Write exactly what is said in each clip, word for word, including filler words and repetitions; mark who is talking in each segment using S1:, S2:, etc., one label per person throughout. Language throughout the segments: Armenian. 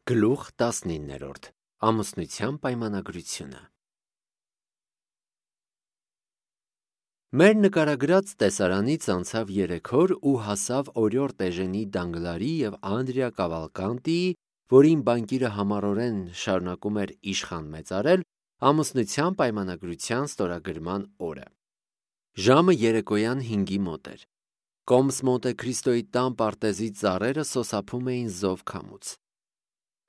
S1: Գլուխ տասնիններորդ Ամուսնության պայմանագրությունը։ Մեր նկարագրած տեսարանից անցավ երեք օր ու հասավ օրիորդ Էժենի Դանգլարի և Անդրիա Կավալկանտիի, որին բանկիրը համառորեն շարունակում էր իշխան մեծարել, ամուսնության պայմանագրության ստորագրման օրը։ Ժամը երեկոյան հինգի մոտ էր։ Կոմս Մոնտե Քրիստոյի տան պարտեզի ծառերը սոսափում էին զով քամուց։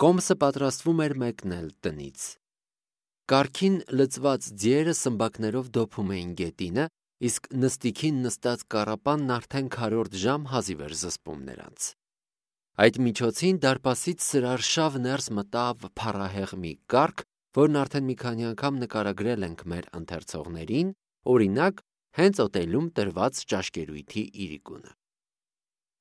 S1: Կոմսը պատրաստվում էր մեկնել տնից։ Կառքին լցված ձիերը սմբակներով դոփում էին գետինը, իսկ նստիքին նստած կառապանն արդեն քառորդ ժամ հազիվ էր զսպում նրանց։ Այդ միջոցին դարպասից սրարշավ ներս մտավ փառահեղ մի կառք, որն արդեն մի քանի անգամ նկարագրել ենք մեր ընթերցողներին, օրինակ, հենց օտելում տրված ճաշկերույթի իրիկունը։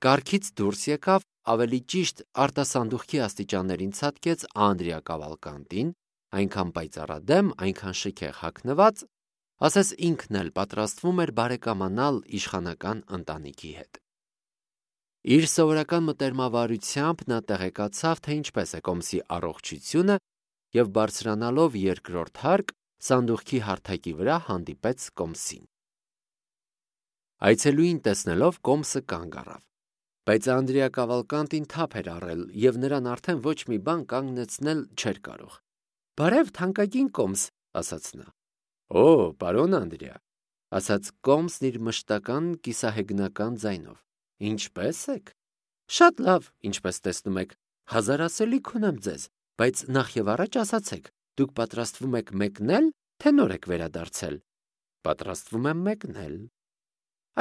S1: Կառքից դուրս եկավ, ավելի ճիշտ արտասանդուղքի աստիճաններին ցատկեց Անդրիա Կավալկանտին, այնքան պայծառադեմ, այնքան շքեղ հագնված, ասես ինքն էլ պատրաստվում էր բարեկամանալ իշխանական ընտանիքի հետ։ Իր սովորական մտերմավարությամբ նա տեղեկացավ, թե ինչպես է Կոմսի առողջությունը և բարձրանալով երկրորդ հարկ, սանդուղքի հարթակի վրա հանդիպեց Կոմսին։ Այցելուին տեսնելով Կոմսը կանգ առավ, բայց Անդրիա Կավալկանտին թափ էր առել և նրան արդեն ոչ մի բան կանգնեցնել չէր կարող։ «Բարև, թանկագին Կոմս», ասաց նա։ «Օ, պարոն Անդրիա», ասաց Կոմսն իր մշտական կիսահեգնական ձայնով, ինչպե՞ս եք։ «Շատ լավ, ինչպես տեսնում եք, հազար ասելիք ունեմ ձեզ, բայց նախ և առաջ ասացեք, դուք պատրաստվում եք մեկնե՞լ, թե նոր եք վերադարձել»։ «Պատրաստվում եմ մեկնել»։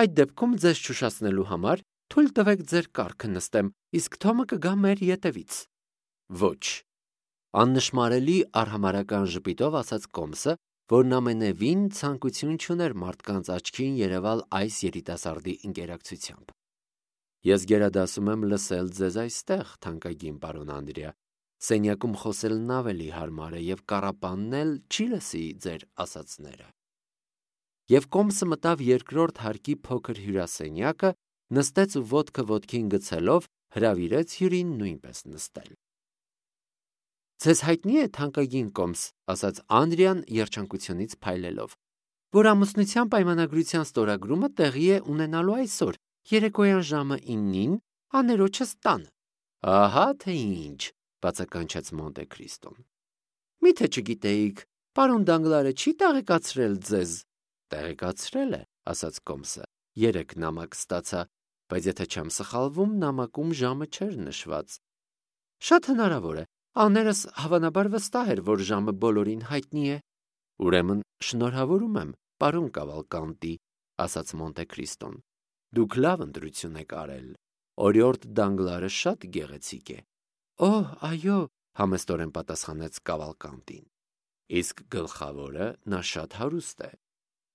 S1: «Այդ դեպքում ձեզ չուշացնելու համար թույլ տվեք ձեր կառքը նստեմ, իսկ Թոմը կգա մեր ետևից»։ «Ոչ», աննշմարելի արհամարհական ժպիտով ասաց Կոմսը, որն ամենևին ցանկություն չուներ մարդկանց աչքին երևալ այս երիտասարդի ընկերակցությամբ։ «Ես գերադասում եմ լսել ձեզ այստեղ, թանկագին պարոն Անդրիա, սենյակում խոսելն ավելի հարմար է և կառապանն էլ չի լսի ձեր ասածները»։ Եվ Կոմսը մտավ երկրորդ հարկի փոքր հյուրասենյակը, նստեց ու ոտքը ոտքին գցելով հրավիրեց հյուրին նույնպես նստել։ «Ձեզ հայտնի է, թանկագին Կոմս, ասաց Անդրիան երջանկությունից փայլելով, որ ամուսնության պայմանագրության ստորագրումը տեղի է ունենալու այսօր, երեկոյան ժամը իննին, աներոջս տանը»։ «Ահա թե ինչ», բացականչեց Մոնտե Քրիստոն։ «Մի՞թե չգիտեիք, պարոն Դանգլարը չի տեղեկացրել ձեզ»։ «Տեղեկացրել է», ասաց Կոմսը, երեք նամակ ստացա, բայց եթե չեմ սխալվում, նամակում ժամը չէր նշված։ «Շատ հնարավոր է, աներս հավանաբար վստահ էր, որ ժամը բոլորին հայտնի է»։ «Ուրեմն շնորհավորում եմ, պարոն Կավալկանտի», ասաց Մոնտե Քրիստոն։ «Դուք լավ ընտրություն եք արել, օրիորդ Դանգլարը շատ գեղեցիկ է»։ «Օհ, այո», համեստորեն պատասխանեց Կավալկանտին։ «Իսկ գլխավորը, նա շատ հարուստ է»։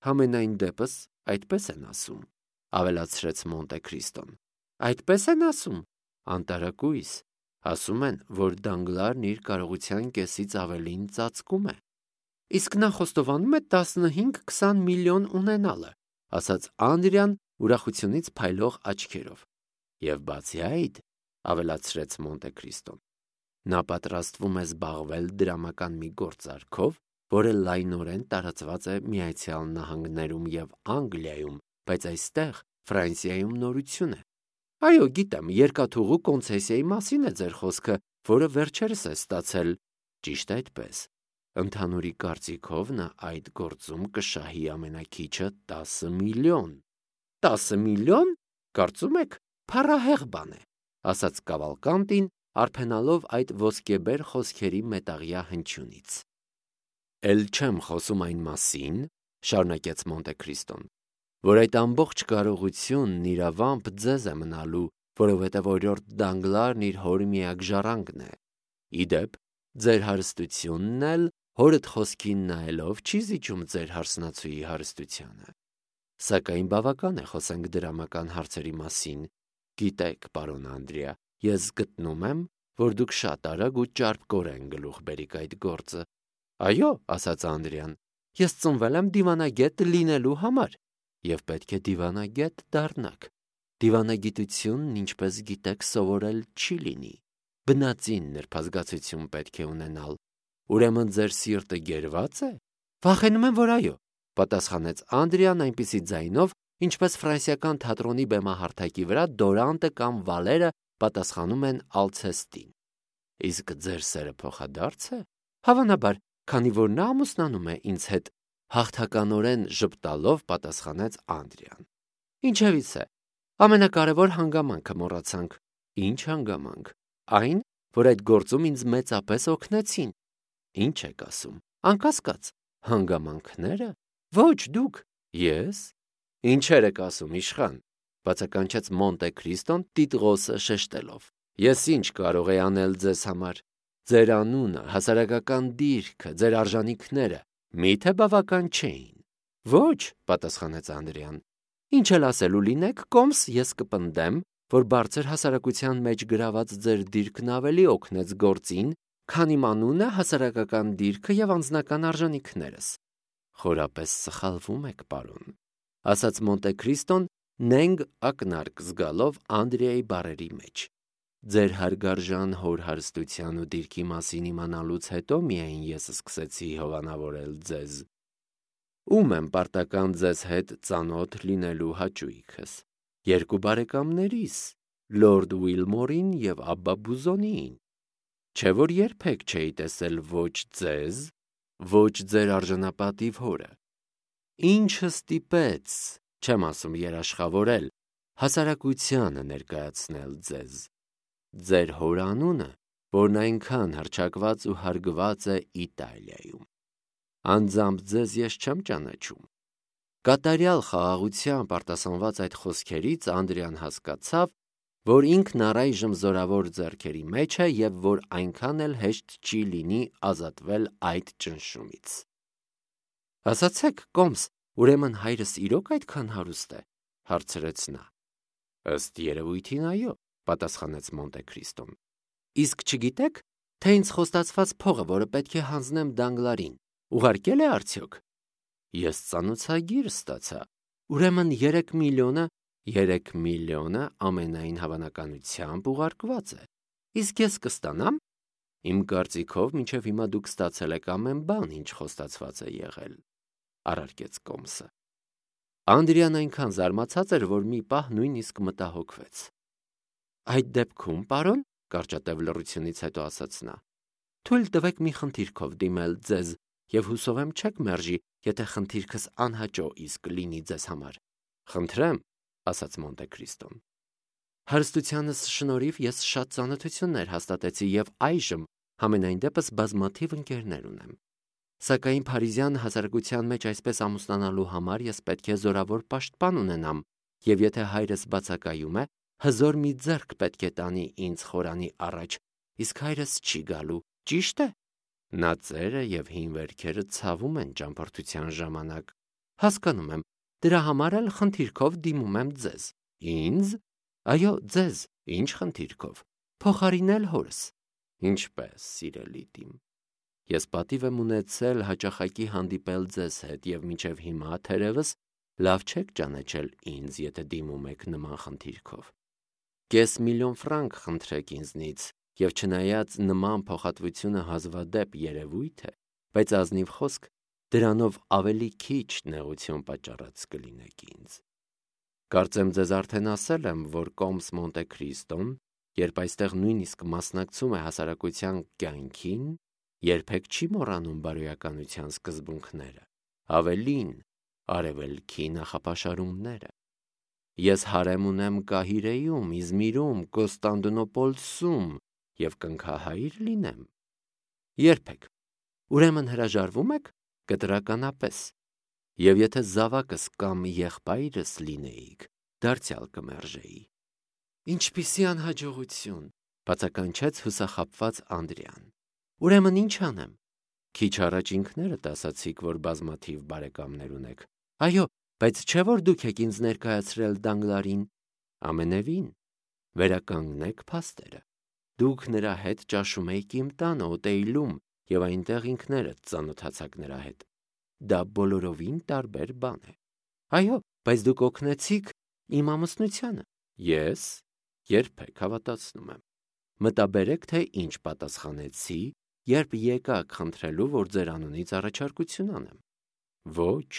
S1: «Համենայն դեպս, այդպես են ասում», ավելացրեց Մոնտե Քրիստոն։ «Այդպես են ասում»։ «Անտարակույս, ասում են, որ Դանգլարն իր կարողության կեսից ավելին ծածկում է»։ «Իսկ նա խոստովանում է տասնհինգ-քսան միլիոն ունենալը», ասաց Անդրիան ուրախությունից փայլող աչքերով։ «Եվ բացի այդ», ավելացրեց Մոնտե Քրիստոն, նա պատրաստվում է զբաղվել դրամական մի գործարքով, որը լայնորեն տարածված է Միացյալ Նահանգներում և Անգլիայում, բայց այստեղ, Ֆրանսիայում նորություն է։ «Այո, գիտեմ, երկաթուղու կոնցեսիայի մասին է ձեր խոսքը, որը վերջերս է ստացել»։ «Ճիշտ այդպես, ընդհանուրի կարծիքով նա այդ գործում կշահի ամենաքիչը տասը միլիոն»։ «Տասը միլիոն, կարծում եք, փառահեղ բան է», ասաց Կավալկանտին, արփենալով այդ ոսկեբեր խոսքերի մետաղյա հնչյունից։ «Էլ չեմ խոսում այն մասին», շարունակեց Մոնտե Քրիստոն, «որ այդ ամբողջ կարողությունն իրավամբ ձեզ է մնալու, որովհետև օրիորդ Դանգլարն իր հոր միակ ժառանգն է։ Ի դեպ, ձեր հարստությունն էլ, հորդ խոսքին նայելով, չի զիջում ձեր հարսնացուի հարստությանը։ Սակայն բավական է խոսենք դրամական հարցերի մասին։ Գիտեք, պարոն Անդրիա, ես գտնում եմ, որ դուք շատ արագ ու ճարպկորեն գլուխ բերիք այդ գործը»։ «Այո», ասաց Անդրիան, «ես ծնվել եմ դիվանագետ լինելու համար, և պետք է դիվանագետ դառնաք։ Դիվանագիտությունն, ինչպես գիտեք, սովորել չի լինի։ բնածին նրբազգացություն պետք է ունենալ։ Ուրեմն ձեր սիրտը գերվա՞ծ է։ Վախենում եմ, որ այո, պատասխանեց Անդրեան այնպիսի ձայնով, ինչպես ֆրանսիական թատրոնի բեմահարթակի վրա դորանտը կամ վալերը պատասխանում են Ալցեստին։ Իսկ ձեր սերը փոխադարձ է։ Հավանաբար, քանի որ նա ամուսնանում է ինձ հետ, հաղթականորեն ժպտալով պատասխանեց Անդրեան։ Ինչևից է, ամենակարևոր հանգամանքը մոռացանք։ Ինչ հանգամանք։ Այն, որ այդ գործում ինձ մեծապես օգնեցին։ Ինչ եք ասում։ Անկասկած, հանգամանքները։ Ոչ, դուք։ Ես։ Ինչեր եք ասում, իշխան, բացականչեց Մոնտե Քրիստոն տիտղոսը շեշտելով։ Ես ինչ կարող եի անել ձեզ համար։ Ձեր անունը, հասարակական դիրքը, ձեր արժանինքները մի՞թե բավական չէին։ Ոչ, պատասխանեց Անդրեան։ Ինչ էլ ասելու լինեք, կոմս ես կպնդեմ, որ բարձր հասարակության մեջ գրաված ձեր դիրքն ավելի օգնեց գործին, քան իմ անունը, հասարակական դիրքը եւ անձնական արժանինքներս։ Խորապես սխալվում եք, պարոն, ասաց Մոնտե Քրիստոն նենգ ակնարկ զգալով Անդրեայի բառերի մեջ։ Ձեր հարգարժան հոր հարստության ու դիրքի մասին իմանալուց հետո միայն ես սկսեցի հովանավորել ձեզ։ Ում եմ պարտական ձեզ հետ ծանոթ լինելու հաճույքս։ Երկու բարեկամներիս, լորդ Ուիլմորին եւ Աբբա Բուզոնիին։ Չէ՞ որ երբեք չէի տեսել ոչ ձեզ, ոչ ձեր արժանապատիվ հորը։ Ինչը ստիպեց, չեմ ասում երաշխավորել, հասարակությանը ներկայացնել ձեզ։ Ձեր հոր անունը, որն այնքան հռչակված ու հարգված է Իտալիայում։ Անձամբ ձեզ ես չեմ ճանաչում։ Կատարյալ խաղաղությամբ արտասանված այդ խոսքերից Անդրեան հասկացավ, որ ինքն առայժմ զորավոր ձեռքերի մեջ է եւ որ այնքան էլ հեշտ չի լինի ազատվել այդ ճնշումից։ Ասացեք, կոմս, ուրեմն հայրս իրոք այդքան հարուստ է, հարցրեց նա։ Ըստ երևույթին այո, պատասխանեց Մոնտե Քրիստոն։ Իսկ չգիտեք, թե ինձ խոստացված փողը, որը պետք է հանձնեմ Դանգլարին, ուղարկել է արդյոք։ Ես ծանոթագիր ստացա։ Ուրեմն երեք միլիոնը, երեք միլիոնը ամենայն հավանականությամբ ուղարկված է։ Իսկ ես կստանամ։ Իմ կարծիքով մինչև հիմա դուք ստացել եք ամեն բան, ինչ խոստացված է եղել, առարկեց կոմսը։ Անդրեան այնքան զարմացած էր, որ մի պահ նույնիսկ մտահոգվեց։ Այդ դեպքում, պարոն, կարճատև լռությունից հետո ասաց նա, թույլ տվեք մի խնդիրքով դիմել ձեզ, եւ հուսով եմ չեք մերժի, եթե խնդիրքս անհաճո իսկ լինի ձեզ համար։ Խնդրեմ, ասաց Մոնտե Քրիստոն։ Հարստությանս շնորհիվ ես շատ ծանոթություններ հաստատեցի եւ այժմ համենայն դեպս բազմաթիվ ընկերներ ունեմ։ Սակայն Փարիզյան հասարակության մեջ այսպես ամուսնանալու համար ես պետք է զորավոր պաշտպան ունենամ, եւ եթե հայրս բացակայում է, հզոր մի ձեռք պետք է տանի ինձ խորանի առաջ, իսկ հայրս չի գալու, ճիշտ է։ Նա ծերը եւ հին վերքերը ցավում են ճամփորդության ժամանակ։ Հասկանում եմ, դրա համար էլ խնդիրքով դիմում եմ ձեզ։ Ինձ։ Այո, ձեզ, ինչ խնդիրքով։ Փոխարինել հորս։ Ինչպես, սիրելի դիմ։ Ես պատիվ եմ ունեցել հաճախակի հանդիպել ձեզ հետ եւ մինչեւ հիմա թերևս լավ չեք ճանաչել ինձ, եթե դիմում եք նման խնդիրքով։ Կես միլիոն ֆրանկ խնդրեք ինձնից եւ չնայած նման փոխհատվությունը հազվադեպ երևույթ է, բայց ազնիվ խոսք դրանով ավելի քիչ նեղություն պատճառած կլինեք ինձ։ Կարծեմ ձեզ արդեն ասել եմ, որ կոմս Մոնտե Քրիստոն, երբ այստեղ նույնիսկ մասնակցում է հասարակության կյանքին, երբեք չի մոռանում բարոյականության սկզբունքները, ավելին, արևելքի նախապաշարումները։ Ես հարեմ ունեմ Կահիրեում, Իզմիրում, Կոստանդնուպոլսում եւ կնքահայր լինեմ։ Երբեք։ Ուրեմն հրաժարվում եք կտրականապես։ Եվ եթե զավակս կամ եղբայրս լինեիք, դարձյալ կմերժեի։ Ինչպիսի անհաջողություն, բացականչեց հուսախաբված Անդրեան։ Ուրեմն ինչ անեմ։ Քիչ առաջ ինքներդ ասացիք, որ բազմաթիվ բարեկամներ ունեք։ Այո, բայց չէ՞ որ դուք եք ինձ ներկայացրել Դանգլարին։ Ամենևին, վերականգնեք փաստերը։ Դուք նրա հետ ճաշում եք իմ տանը Օտեյլում եւ այնտեղ ինքներդ ծանոթացաք նրա հետ։ Դա բոլորովին տարբեր բան է։ Այո, բայց դուք օգնեցիք իմ ամուսնությանը։ Ես երբեք, հավատացնում եմ։ մտաբերեք, թե ինչ պատասխանեցի, երբ եկաք խնդրելու, որ ձեր անունից առաջարկություն անեմ։ Ոչ,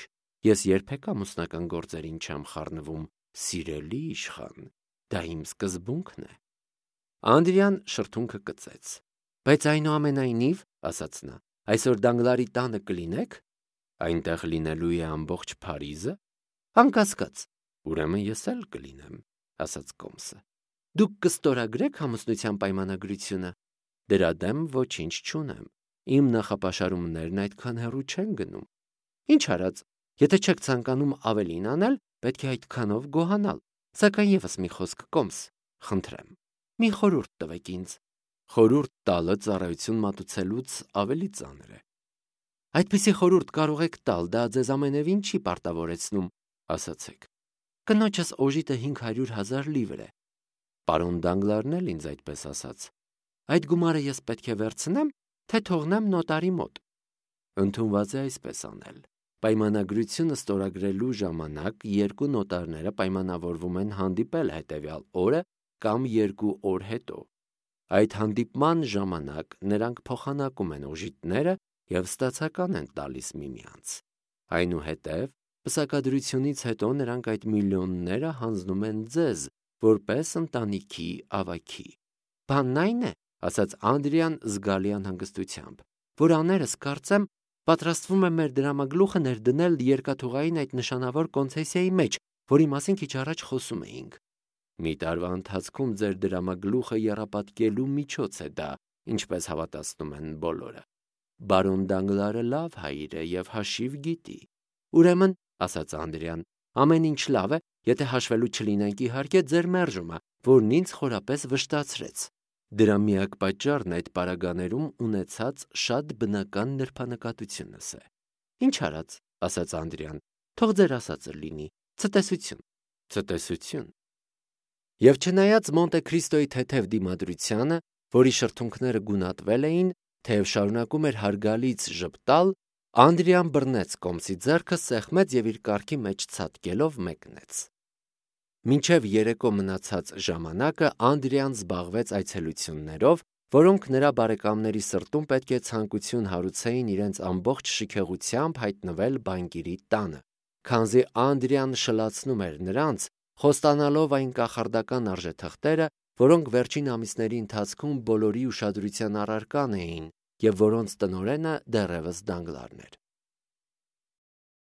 S1: ես երբեք ամուսնական գործերին չեմ խառնվում, սիրելի իշխան, դա իմ սկզբունքն է։ Անդրեան շրթունքը կծեց։ Բայց այնուամենայնիվ, ասաց նա, այսօր Դանգլարի տանը կլինեք, այնտեղ լինելու է ամբողջ Փարիզը։ Անկասկած, ուրեմն ես էլ կլինեմ, ասաց Կոմսը։ Դուք կստորագրեք ամուսնության պայմանագրությունը։ Դրա դեմ ոչինչ չունեմ։ Իմ նախապաշարումներն այդքան հեռու չեն գնում։ Ինչ արած, եթե չեք ցանկանում ավելին անել, պետք է այդքանով գոհանալ։ Սակայն եւս մի խոսք, Կոմս, խնդրեմ։ Մի խորհուրդ տվեք ինձ։ Խորհուրդ տալը ծառայություն մատուցելուց ավելի ծանր է։ Այդպիսի խորհուրդ կարող եք տալ, դա ձեզ ամենևին չի պարտավորեցնում, ասացեք։ Կնոջս օժիտը հինգ հարյուր հազար լիվր է։ Պարոն Դանգլարն էլ ինձ այդպես ասաց։ Այդ գումարը ես պետք է վերցնեմ, թե թողնեմ նոտարի մոտ։ Ընդունված է այսպես անել։ Պայմանագրությունը ստորագրելու ժամանակ երկու նոտարները պայմանավորվում են հանդիպել հետևյալ օրը կամ երկու օր հետո։ Այդ հանդիպման ժամանակ նրանք փոխանակում են օժիտները և ստացական են տալիս միմյանց։ Այնուհետև, պսակադրությունից հետո նրանք այդ միլիոնները հանձնում են ձեզ, որպես ընտանիքի ավագի։ Բանն այն է, ասաց Անդրեան զգալի անհանգստությամբ, որ աներս կարծեմ պատրաստվում է մեր դրամագլուխը ներդնել երկաթուղային այդ նշանավոր կոնցեսիայի մեջ, որի մասին քիչ առաջ խոսում էինք։ Մի տարվա ընթացքում ձեր դրամագլուխը եռապատկելու միջոց է դա, ինչպես հավատացնում են բոլորը։ Բարոն Դանգլարը լավ հայր է և հաշիվ գիտի։ Ուրեմն, ասաց Անդրեան, ամեն ինչ լավ է, եթե հաշվելու չլինենք իհարկե ձեր մերժումը, որն ինձ խորապես վշտացրեց։ Դրա միակ պատճառն այդ պարագաներում ունեցած շատ բնական նրբանկատությունս է։ Ինչ արած, ասաց Անդրեան, թող ձեր ասածը լինի, ցտեսություն, ցտեսություն։ Եվ չնայած Մոնտե Քրիստոյի թեթև դիմադրությանը, որի շրթունքները գունատվել էին, թեև շարունակում էր հարգալից ժպտալ, Անդրեան բռնեց Կոմսի ձեռքը, սեղմեց և իր կառքի մեջ ցատկելով մեկնեց։ Մինչև երեկո մնացած ժամանակը Անդրեան զբաղվեց այցելություններով, որոնք նրա բարեկամների սրտում պետք է ցանկություն հարուցեին իրենց ամբողջ շքեղությամբ հայտնվել բանկիրի տանը, քանզի Անդրեան շլացնում էր նրանց, խոստանալով այն կախարդական արժեթղթերը, որոնք վերջին ամիսների ընթացքում բոլորի ուշադրության առարկան էին և որոնց տնօրենը դեռևս Դանգլարն էր։